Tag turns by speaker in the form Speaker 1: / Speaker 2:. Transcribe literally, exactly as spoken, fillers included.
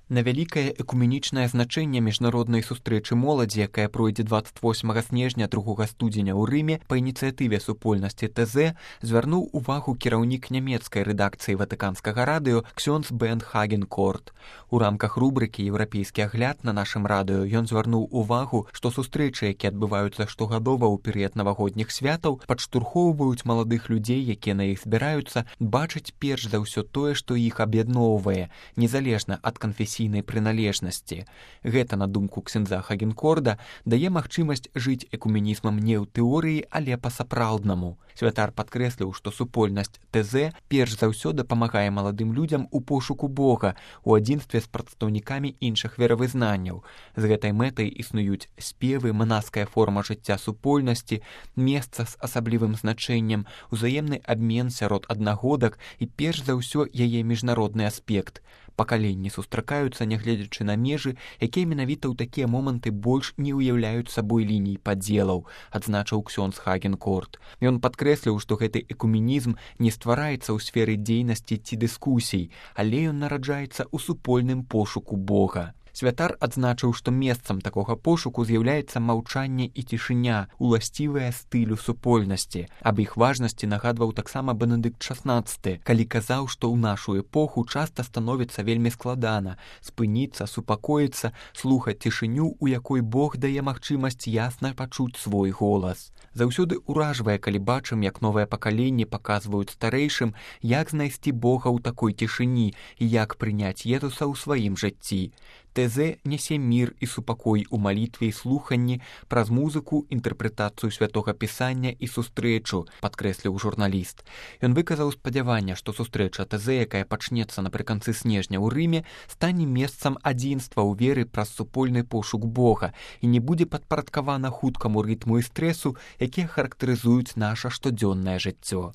Speaker 1: На вялікае экуменічнае значэнне міжнароднай сустрэчы моладзі, якая пройдзе дваццаць восьмага снежня другога студзеня ў Рыме па ініцыятыве супольнасці ТЗ, звярнуў увагу кіраўнік нямецкай рэдакцыі ватыканскага радыё ксёндз Бент Хагенкорт. У рамках рубрыкі «Еўрапейскі агляд» на нашым радыё ён звярнуў увагу, што сустрэчы, якія адбываюцца штогадова ў перыяд навагодніх святаў, падштурхоўваюць маладых людзей, якія на іх збіраюцца, бачыць перш за ўсё тое, што іх аб'ядноўвае, незалежна ад канфесійнай прыналежнасці. Гэта, на думку ксяндза Хагенкорда, дае магчымасць жыць экуменізмам не ў тэорыі, але па-сапраўднаму. Святар падкрэсліў, што супольнасць ТЗ перш за ўсё дапамагае маладым людзям у пошуку Бога у адзінстве з прадстаўнікамі іншых веравызнанняў. З гэтай мэтай існуюць спевы, манаская форма жыцця супольнасці, месца з асаблівым значэннем, узаемны абмен сярод аднагодак і перш за ўсё яе міжнародны аспект. Пакаленні сустракаюцца, нягледзячы на межы, якія менавіта ў такія моманты больш не ўяўляюць сабой ліній падзелаў, адзначыў ксёндз Хагенкорт. Ён падкрэсліў, што гэты экуменізм не ствараецца ў сферы дзейнасці ці дыскусій, але ён нараджаецца ў супольным пошуку Бога. Святар адзначыў, што месцам такога пошуку з'яўляецца маўчанне і цішыня, уласцівая стылю супольнасці. Аб іх важнасці нагадваў таксама Бенедыкт шаснаццаты, калі казаў, што ў нашу эпоху часта становіцца вельмі складана спыніцца, супакоіцца, слухаць цішыню, у якой Бог дае магчымасць ясна пачуць свой голас. Заўсёды ўражвае, калі бачым, як новыя пакаленні паказваюць старэйшым, як знайсці Бога ў такой цішыні і як прыняць Езуса ў сваім жыцці. ТЗ нясе мір і супакой у малітве і слуханні праз музыку, інтэрпрэтацыю святога пісання і сустрэчу, падкрэсліў журналіст. Ён выказаў спадзяванне, што сустрэча ТЗ, якая пачнецца напрыканцы снежня ў Рыме, стане месцам адзінства ў веры праз супольны пошук Бога і не будзе падпарадкавана хуткаму рытму і стрэсу, якія характарызуюць наша штодзённае жыццё.